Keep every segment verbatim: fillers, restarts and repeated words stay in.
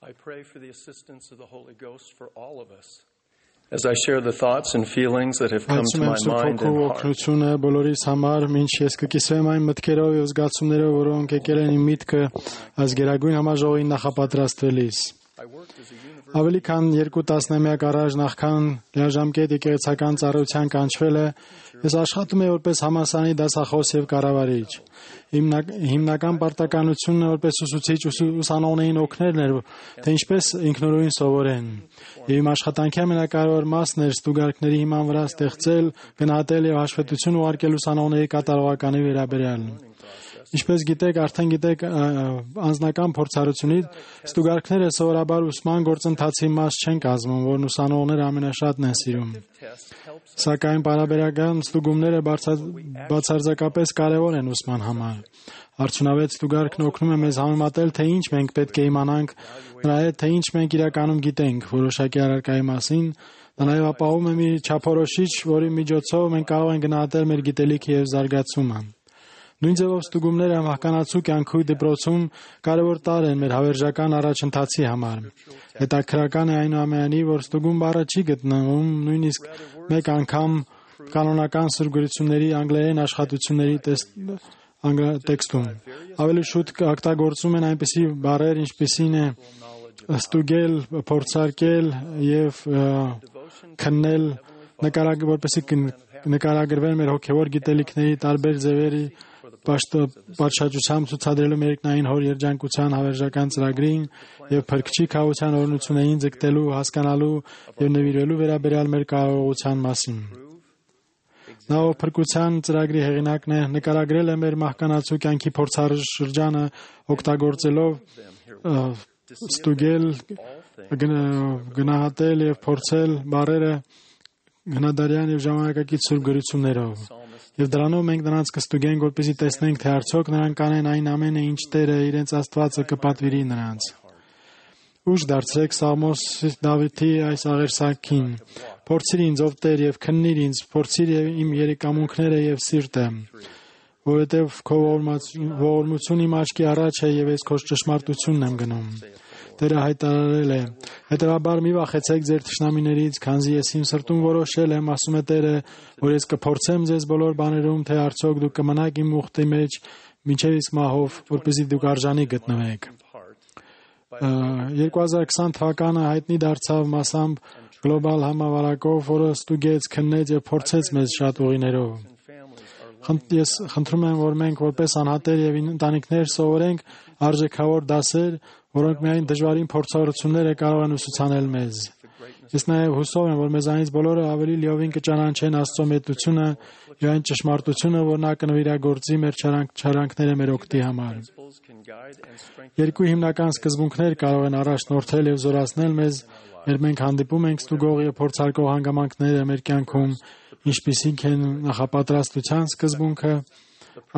I pray for the assistance of the Holy Ghost for all of us. As I share the thoughts and feelings that have come to my mind and heart. Օգնությունը բոլորիս համար, ինչ ես կկիսվեմ այն մտքերով եւ զգացումներով, որոնք եկել են իմ միտքը այս գերագույն համաժողովին նախապատրաստվելիս։ Ավելի քան երկու տասնամյակ առաջ նախքան լիաժամկետ եկեղեցական ծառայության կանչվելը, ես աշխատում եմ որպես համալսարանի դասախոս եւ կառավարիչ։ Հիմնական պարտականությունը որպես ուսուցիչ ուսանողներին օգնելն էր, թե ինչպես ինքնուրույն սովորեն։ Եվ իմ աշխատանքի ամենակարևոր մասն էր ստուգարքների հիման վրա ստեղծել, գնահատել եւ հաշվետվություն ուղարկել ուսանողների կատարողականի վերաբերյալ։ Ինչպես գիտեք, արդեն գիտեք անձնական փորձառությունից ստուգարքները սովորաբար ուսման գործընթացի մաս չեն կազմում, որն ուսանողները ամենաշատն են սիրում։ Սակայն պարաբերական ստուգումները բացարձակապես կարևոր են ուսման համար։ Արդյունավետ ստուգարքն օգնում է մեզ համեմատել, թե ինչ մենք պետք է իմանանք, նրա հետ, թե ինչ մենք իրականում գիտենք որոշակի առարկայի մասին, դա նաև ապահովում է մի չափորոշիչ, որի միջոցով մենք կարող ենք գնահատել մեր գիտելիքը եւ զարգացումը։ Նույն ձևով ստուգումները մահկանացու կյանքի դպրոցում կարևոր տարր են մեր հավերժական առաջընթացի համար։ Հետաքրքրական է այնուամենայնիվ, որ ստուգում բառը չի գտնվում նույնիսկ մեկ անգամ կանոնական սուրգրությունների անգլերեն աշխատությունների տեքստում։ Ավելի շուտ օգտագործում են այնպիսի բառեր, ինչպիսին է ստուգել, փորձարկել եւ քննել, որպեսզի նկարագրվեն մեր հոգեվոր գիտելիքների տարբեր ձևերի պատշաճությամբ ցուցադրելու մեր երկնային հոր երջանկության հավերժական ծրագրին եւ փրկչի քահության օրհնություններին ձգտելու, հասկանալու եւ նվիրելու վերաբերյալ մեր կարողության մասին։ Նա ով փրկության ծրագրի հեղինակն է, նկարագրել է մեր մահկանացու կյանքի փորձաշրջանը օգտագործելով ստուգել, գնահատել եւ փորձել բառերը հնադարյան եւ ժամանակակից սուրգրություններով։ Եվ դրանով մենք նրանց կստուգենք, որպեսզի տեսնենք, թե արդյոք նրանք կանեն այն ամենը, ինչ Տերը իրենց Աստվածը կպատվիրի նրանց։ Ուշ դարձրեք Սաղմոս Դավիթի այս աղերսակին. Փորձիր ինձ, ով Տեր, եւ քննիր ինձ, փորձիր իմ երեկամունքները եւ սիրտը, որովհետեւ քո ողորմությունը իմ աչքի առաջ է եւ ես քո ճշմարտությունն եմ գնում։ Տերը հայտարարել է. հետևաբար մի վախեցեք ձեր թշնամիներից, քանզի ես իմ սրտում որոշել եմ, ասում է Տերը, որ ես կփորձեմ ձեզ բոլոր բաներում, թե արդյոք դուք կմնաք իմ ուխտի մեջ մինչև իսկ մահով, որպեսզի դուք արժանի գտնվեք։ երկու հազար քսան թվականը հայտնի դարձավ մասամբ գլոբալ համավարակով, որը ստուգեց, քննեց եւ փորձեց մեզ շատ ուղիներով։ Ես խնդրում եմ, որ մենք որպես անհատեր եւ ընտանիքներ սովորենք արժեքավոր դասեր, որոնք միայն դժվարին փորձառությունները կարող են ուսուցանել մեզ։ Ես նաև հուսով եմ, որ մեզանից բոլորը ավելի լիովին կճանաչեն Աստծո մեծությունը եւ այն ճշմարտությունը, որ նա կնվիրագործի մեր չարանքները մեր օգտի համար։ Երկու հիմնական սկզբունքներ կարող են առաջնորդել եւ զորացնել մեզ, երբ մենք հանդիպում ենք ստուգող եւ փորձարկող հանգամանքները մեր կյանքում, ինչպիսիք են նախապատրաստության սկզբունքը,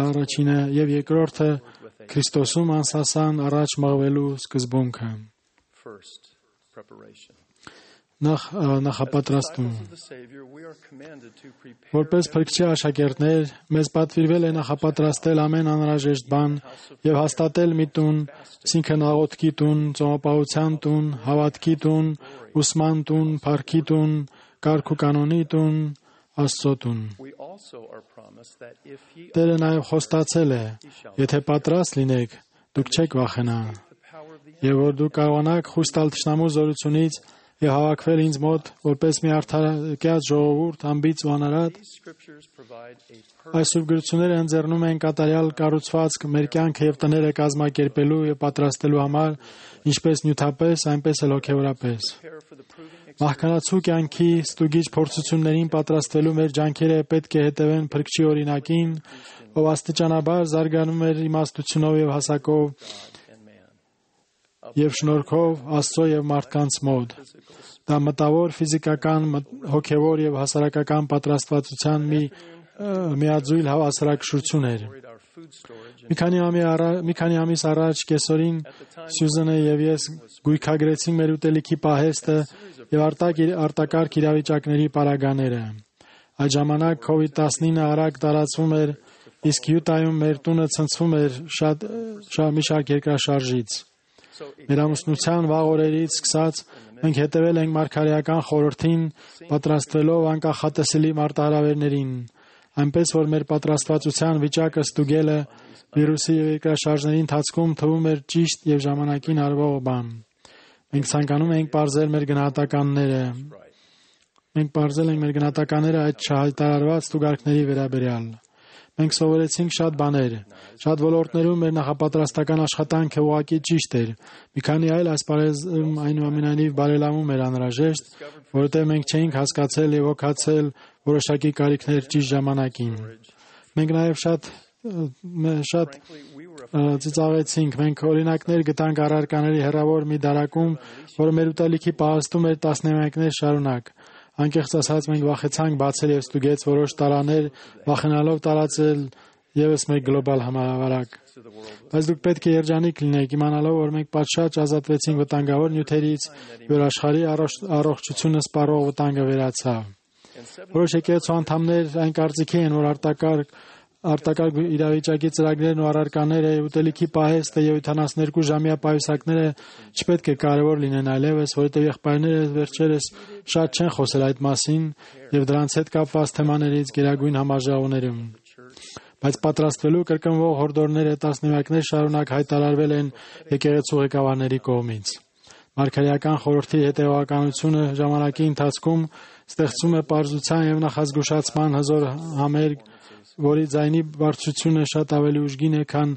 առաջինը եւ երկրորդը Քրիստոսում անսասան առաջ մղվելու սկզբունքը։ Նախ նախապատրաստում։ Որպես փրկչի աշակերտներ, մեզ պատվիրվել է նախապատրաստել ամեն անհրաժեշտ բան եւ հաստատել մի տուն, այսինքն աղոթքի տուն, ծոմապահության տուն, հավատքի տուն, ուսման տուն, փառքի տուն, կարգ ու կանոնի տուն, Աստծո տուն։ Տերը նաև խոստացել է. եթե պատրաստ լինեք, դուք չեք վախենա, եւ որ դուք կարողանաք խույս տալ թշնամու զորությունից եւ հավաքվել ինձ մոտ որպես մի արդարացած ժողովուրդ, ամբից ու անարատ։ Այս սուրբգրությունները ընձեռնում են կատարյալ կառուցվածք մեր կյանքը եւ տները կազմակերպելու եւ պատրաստելու համար, ինչպես նյութապես, այնպես էլ հոգեորապես։ Մահկանացու կյանքի ստուգիչ փորձություններին պատրաստվելու մեր ջանքերը պետք է հետևեն փրկչի օրինակին, ով աստիճանաբար զարգանում էր իմաստությունով եւ հասակով եւ շնորհքով Աստծո եւ մարդկանց մոտ։ Դա մտավոր, ֆիզիկական, հոգեվոր եւ հասարակական պատրաստվածության մի միաձույլ հավասարակշռություն էր։ Մի քանի մի քանի ամիս առաջ կեսօրին Սյուզենը եւ ես գույքագրեցինք մեր ուտելիքի պահեստը եւ արտակարգ իրավիճակների պարագաները։ Այդ ժամանակ քովիդ տասնինը արագ տարածվում էր, իսկ Յուտայում մեր տունը ցնցվում էր շատ մի շարք երկրաշարժից։ Մեր ամուսնության վաղ օրերից սկսած մենք հետևել ենք մարգարեական խորհրդին, պատրաստվելով անկախատեսելի մարտահրավերներին, այնպես որ մեր պատրաստվածության վիճակը ստուգելը վիրուսի եւ երկրաշարժների ընթացքում թվում էր ճիշտ եւ ժամանակին արվող բան։ Մենք ցանկանում ենք բարձել մեր գնահատականները։ Մենք բարձել ենք մեր գնահատականները այդ չհայտարարված ստուգարկների վերաբերյալ։ Մենք սովորեցինք շատ բաներ։ Շատ ոլորտներում մեր նախապատրաստական աշխատանքը ուղղակի ճիշտ էր։ Մի քանի այլ ասպարեզում այնուամենայնիվ բարելավում էր անհրաժեշտ, որովհետև մենք չէինք հասկացել եւ հոգացել որոշակի կարիքներ ճիշտ ժամանակին։ Մենք նաև շատ շատ ծիծաղեցինք։ Մենք օրինակներ գտանք առարկաների հեռավոր մի դարակում, որը մեր ուտելիքի պահեստում էր տասնամյակներ շարունակ։ Անկեղծ ասած մենք վախեցանք բացել եւ ստուգեց որոշ տարաներ, վախենալով տարածել եւս մեկ գլոբալ համավարակ։ Բայց դուք պետք է երջանիկ լինեք, իմանալով, որ մենք պատշաճ ազատվեցինք վտանգավոր նյութերից, որ աշխարհի առողջությունը սպառող վտանգը վերացավ։ Որոշ եկեղեցու անդամներ այն կարծիքի են, որ արտակարգ արտակարգ իրավիճակի ծրագրերն ու առարկաները, ուտելիքի պահեստը եւ ութանասներկու ժամյա պայուսակները չպետք է կարևոր լինեն այլևս, որովհետեւ եղբայրները վերջերս շատ չեն խոսել այդ մասին եւ դրանց հետ կապված թեմաներից գերագույն համաժողովներում։ Բայց պատրաստվելու կրկնվող հորդորները տասնամյակներ շարունակ հայտարարվել են եկեղեցու ղեկավարների կողմից։ Մարգարեական խորհրդի հետևականությունը ժամանակի ընթացքում ստեղծում է պարզության եւ նախազգուշացման հզոր համերգ, որի ձայնի բարձրությունը շատ ավելի ուժգին է, քան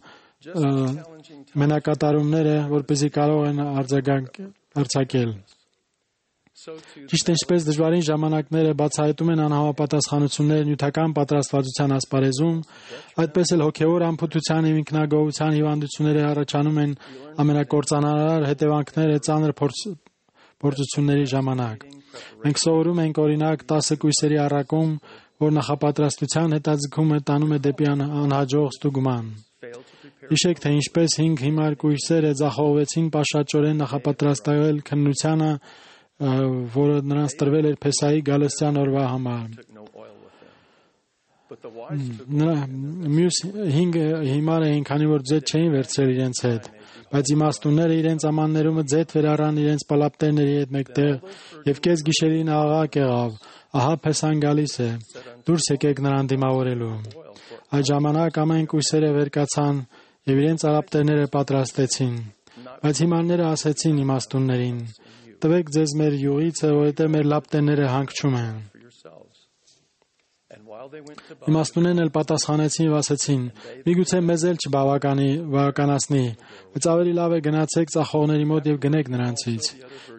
մենակատարումները, որպեսզի կարող են արձակել։ Ճիշտ ինչպես դժվարին ժամանակները բացահայտում են անհամապատասխանություններ նյութական պատրաստվածության ասպարեզում, այդպես էլ հոգևոր անփութության եւ ինքնագոհության հիվանդությունները առաջանում են ամենակործանարար հետևանքները ծանր փորձությունների ժամանակ։ Մենք սովորում ենք օրինակ տասը կույսերի առակում, որ նախապատրաստության հետաձգումը տանում է դեպի անհաջող ստուգման։ Հիշեք, թե ինչպես հինգ հիմար կույսերը ձախողվեցին պաշաճորեն նախապատրաստվել քննությանը, որը նրանց տրվել էր Փեսայի գալստյան օրվա համար։ Մյուս հինգ հիմարը էին, քանի որ ձեթ չէին վերցրել իրենց հետ, բայց իմաստունները իրենց ամաններումը ձեթ վերառան իրենց պալապտերների հետ մեկտեղ եւ կես գիշերին աղաղակ եղավ. «Ահա Փեսան գալիս է, դուրս եկեք նրան դիմավորելու»։ Այդ ժամանակ ամեն կույսերը վեր կացան եւ իրենց արապտերները պատրաստեցին։ Բայց հիմարները ասեցին իմաստուններին. «Տվեք ձեզ մեր յուղիցը, որովհետեւ մեր լապտերները հանգչում են»։ Իմաստուններն էլ պատասխանեցին եւ ասեցին. «Միգուցե մեզ էլ չբավականացնի, բայց ավելի լավ է գնացեք ծախողների մոտ եւ գնեք նրանցից»։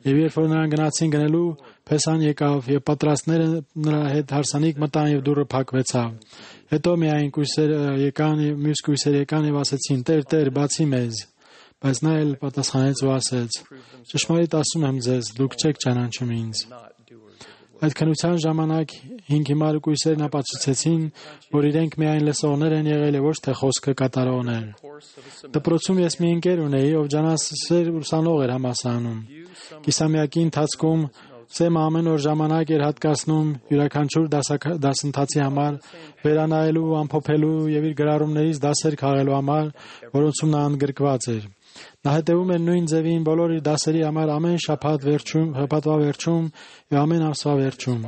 Եվ երբ որ նրանք գնացին գնելու, Փեսան եկավ եւ պատրաստները նրա հետ հարսանիք մտան եւ դուռը փակվեցավ։ Հետո միայն կույսերը եկան եւ մյուս կույսերը եկան եւ ասեցին. «Տեր, Տեր, բացի մեզ»։ Բայց նա էլ պատասխանեց ու ասեց. «Ճշմարիտ ասում եմ ձեզ, դուք չեք ճանաչում ինձ»։ Այդ քննության ժամանակ հինգ հիմար կույսերն ապացուցեցին, որ իրենք միայն լսողներ են եղել եւ ոչ թե խոսքը կատարողներ։ Դպրոցում ես մի ընկեր ունեի, ով ջանասեր ուսանող էր համալսարանում։ Կիսամյակի ընթացքում Սեմը ամեն օր ժամանակ էր հատկացնում յուրաքանչյուր դասընթացի համար, վերանայելու, ամփոփելու եւ իր գրառումներից դասեր քաղելու համար, որոնցում նա ընդգրկված էր։ Նա հետևում էր նույն ձևին բոլոր իր դասերի համար ամեն շաբաթ վերջում, շաբաթվա վերջում եւ ամեն ամսվա վերջում։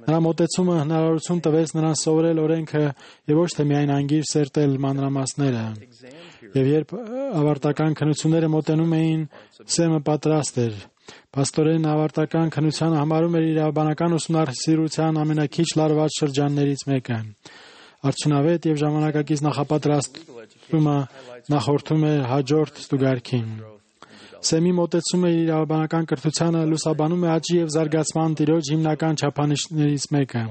Նրա մոտեցումը հնարավորություն տվեց նրան սովորել օրենքը եւ ոչ թե միայն անգիր սերտել մանրամասները։ Եվ երբ ավարտական քննությունները մոտենում էին, Սեմը պատրաստ էր։ Պաստորեն ավարտական քննությանը համարում էր իրավաբանական ուսումնասիրության ամենաքիչ լարված շրջաններից մեկը։ Արդյունավետ եւ ժամանակակից նախապատրաստումը նախորդում է հաջորդ ստուգարքին։ Սեմի մոտեցումը իրավաբանական կրթությանը լուսաբանում է աճի եւ զարգացման տիրոջ հիմնական չափանիշներից մեկը։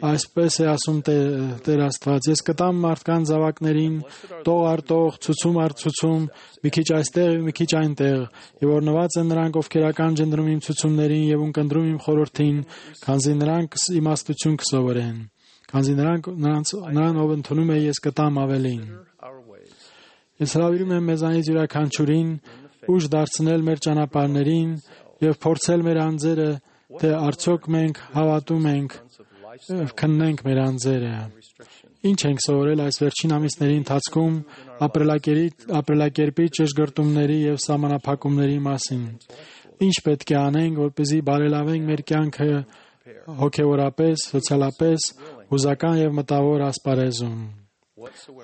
Այսպես է ասում Տեր Աստված. «Ես կտամ մարդկան զավակներին տող առ տող, ցուցում առ ցուցում, մի քիչ այստեղ եւ մի քիչ այնտեղ, եւ օրնված են նրանք, ովքեր ականջ են դնում իմ ցուցումներին եւ ունկնդրում իմ խորհրդին, քանզի նրանք իմաստություն կսովորեն, քանզի նրանք նրանց նրան ով ընդունում է, ես կտամ ավելին»։ Ես հրավիրում եմ մեզանից յուրաքանչյուրին ուժ դարձնել մեր ճանապարհներին եւ փորձել մեր անձերը, թե արդյոք մենք հավատում ենք, քննենք մեր անձերը Ինչ ենք սովորել այս վերջին ամիսների ընթացքում ապրելակերպի ճշգրտումների և սահմանափակումների մասին։ Ինչ պետք է անենք, որպեսզի բարելավենք մեր կյանքը հոգևորապես, սոցիալապես, հուզական և մտավոր ասպարեզում։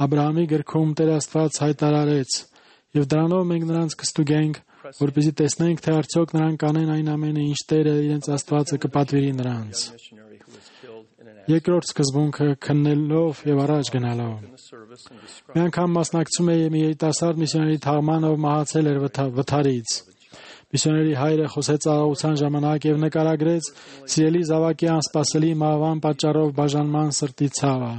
Աբրահամի գրքում Տեր Աստված հայտարարեց, և դրանով մենք նրանց կստուգենք, որպեսզի տեսնենք, թե արդյոք նրանք կանեն այն ամենը, ինչ Տերը իրենց Աստվածը կպատվիրի նրանց։ Երկրորդ սկզբունքը քննելով և առաջ գնալով։ Մի անգամ մասնակցում էի մի երիտասարդ միսիոների թաղման, ով մահացել էր վթարից։ Միսիոների հայրը խոսեց աղաղության ժամանակ և նկարագրեց սիրելի զավակի անսպասելի մահվան պատճառով բաժանման սրտի ցավը։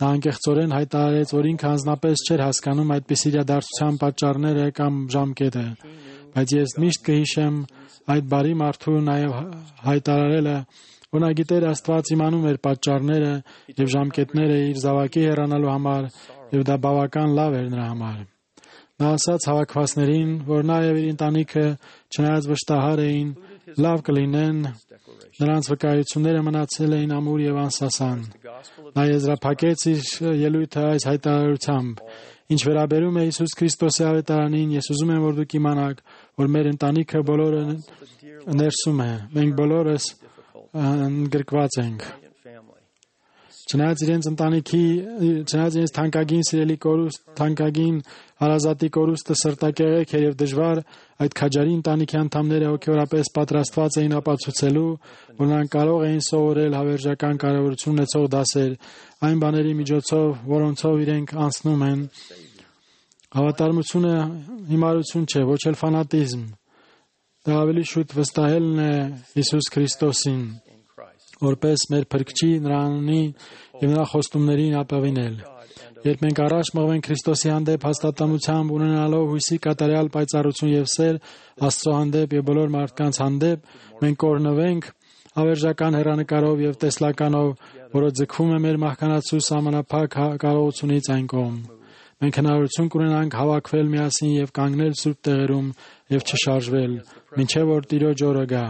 Նա անկեղծորեն հայտարարեց, որ ինքը անձնապես չէր հասկանում այդպիսի իրադարձության պատճառները կամ ժամկետը, բայց ես միշտ կհիշեմ այդ բարի մարդու նաև հայտարարելը, որ նա գիտեր Աստված իմանում էր պատճառները և ժամկետները իր զավակի հեռանալու համար, և դա բավական լավ էր նրա համար։ Նա ասաց հավաքվածներին, որ նա և իր ընտանիքը, չնայած վշտահար էին, լավ կլինեն, նրանց վկայությունները մնացել էին ամուր և անսասան։ Նա եզրափակեց իր ելույթը այս հայտարարությամբ. «Ինչ վերաբերում է Հիսուս Քրիստոսի ավետարանին, ես ուզում եմ, որ դուք իմանաք, որ մեր ընտանիքը բոլորը ներսում է, մենք բոլորս ընդգրկված ենք»։ Չնայած իրենց ընտանիքի, չնայած իրենց թանկագին սիրելի կորուստ, թանկագին հարազատի կորուստը սրտակեղեք էր և դժվար, այդ քաջարի ընտանիքի անդամները հոգևորապես պատրաստված էին ապացուցելու, որ նրանք կարող էին սովորել հավերժական կարևորություն ունեցող դասեր, այն բաների միջոցով, որոնցով իրենք անցնում են։ Հավատարմությունը հիմարություն չէ, ոչ էլ ֆանատիզմ։ Դա ավելի շուտ վստահելն է Հիսուս Քրիստոսին, որպես մեր փրկչի, նրանի և նրա խոստումներին ապավինել։ Երբ մենք առաջ մղվենք Քրիստոսի հանդեպ հաստատամությամբ, ունենալով հույսի կատարյալ պայծառություն և սեր Աստծո հանդեպ և բոլոր մարդկանց հանդեպ, մենք կօրհնվենք հավերժական հեռանկարով և տեսլականով, որը ձգվում է մեր մահկանացու սահմանափակ կարողությունից այն կողմ։ Մենք հնարավորություն կունենանք հավաքվել միասին և կանգնել սուրբ տեղերում և չշարժվել, մինչև որ Տիրոջ օրը գա։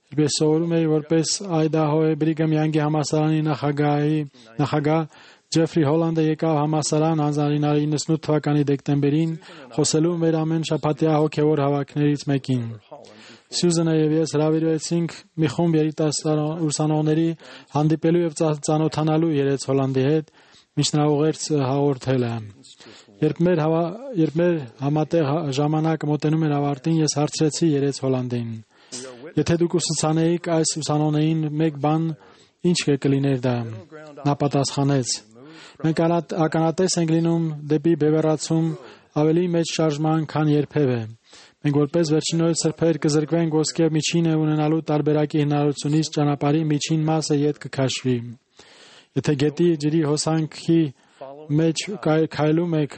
Երբ ես սովորում էի որպես Այդահոյի Բրիգամ Յանգի համալսարանի նախագահ, Ջեֆրի Հոլանդը եկավ համալսարան հանձնարարի իննսունութ թվականի դեկտեմբերին, խոսելու մեր ամեն շաբաթյա հոգևոր հավաքներից մեկին։ Սյուզենը և ես հրավիրվեցինք մի խումբ երիտասարդ ուսանողների հանդիպելու և ծանոթանալու երեց Հոլանդի հետ, մինչ նրա ուղերձ հաղորդելը։ Երբ մեր երբ մեր համատեղ ժամանակը մոտենում էր ավարտին, ես հարցրեցի երեց Հոլանդին. «Եթե դուք ուսուցանեիք այս ուսանողներին մեկ բան, ինչ կլիներ դա»։ Նա պատասխանեց. «Մենք ականատես ենք լինում դեպի բևեռացում ավելի մեծ շարժման, քան երբևէ։ Մենք որպես վերջիններս սրբեր կզրկվենք ոսկե միջինը ունենալու տարբերակի հնարավորությունից, ճանապարհի միջին մասը ետ կքաշվի։ Եթե գետի ջրի հոսանքի մեջ քայլում եք,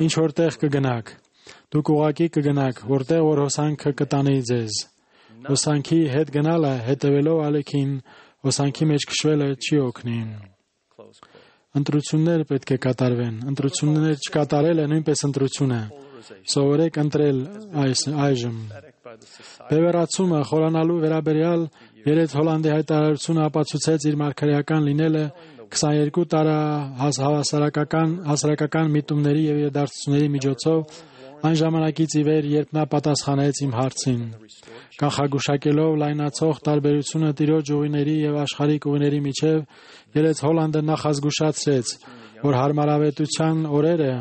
ինչ որտեղ կգնաք։ Դուք ուղղակի կգնաք, որտեղ որ հոսանքը կտանի ձեզ։ Հոսանքի հետ գնալը, հետևելով ալեքին, հոսանքի մեջ քշվելը չի օգնի»։ Ընտրություններ պետք է կատարվեն։ Ընտրություններ չկատարելը նույնպես ընտրություն է։ Սովորեք ընտրել այժմ։ Բևեռացումը խորանալու վերաբերյալ երեց Հոլանդի հայտարարությունը ապացուցեց իր մարգարեական լինելը քսաներկու տարի հասարակական միտումների և իրադարձությունների միջոցով այն ժամանակից ի վեր, երբ նա պատասխանեց իմ հարցին։ Կանխագուշակելով լայնացող տարբերությունը Տիրոջ ուղիների և աշխարհիկ ուղիների միջև, երեց Հոլանդը նախազգուշացրեց, որ հարմարավետության օրերը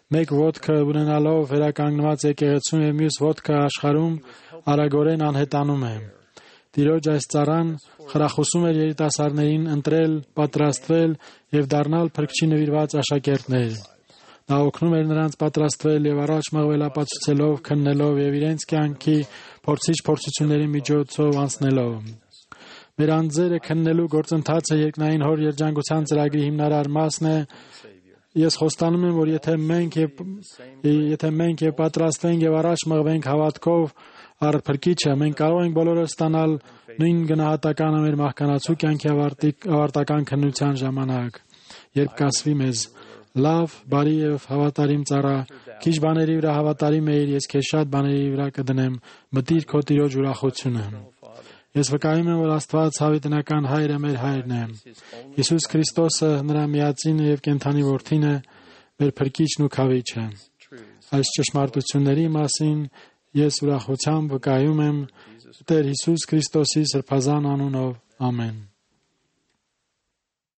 մեկ ոտքը ունենալով վերականգնված եկեղեցում և մյուս ոտքը աշխարհում արագորեն անհետանում է։ Տիրոջ այս ծառան խրախուսում էր երիտասարդներին ընտրել, պատրաստվել և դառնալ Փրկչի նվիրված աշակերտներ։ Նա օգնում էր նրանց պատրաստվել և առաջ մղվել ապացուցելով, քննելով և իրենց կյանքի փորձիչ փորձությունների միջոցով անցնելով։ Մեր անձերը քննելու գործընթացը երկնային Հոր երջանկության ծրագրի հիմնարար մասն է։ Ես խոստանում եմ, որ եթե մենք և եթե մենք և պատրաստվենք և առաջ մղվենք հավատքով առ Փրկիչը, մենք կարող ենք բոլորը ստանալ նույն գնահատականը մեր մահկանացու կյանքի ավարտական քննության ժամանակ, երբ կասվի մեզ. «Լավ, բարի և հավատարիմ ծառա, քիչ բաների վրա հավատարիմ էիր, ես քեզ շատ բաների վրա կդնեմ, մտիր քո Տիրոջ ուրախությունը»։ Ես վկայում եմ, որ Աստված հավիտենական Հայրը մեր Հայրն է։ Հիսուս Քրիստոսը նրա միածինը եւ կենդանի Որդին է, մեր Փրկիչն ու Քավիչը։ Այս ճշմարտությունների մասին ես ուրախությամբ վկայում եմ Տեր Հիսուս Քրիստոսի սրբազան անունով։ Ամեն։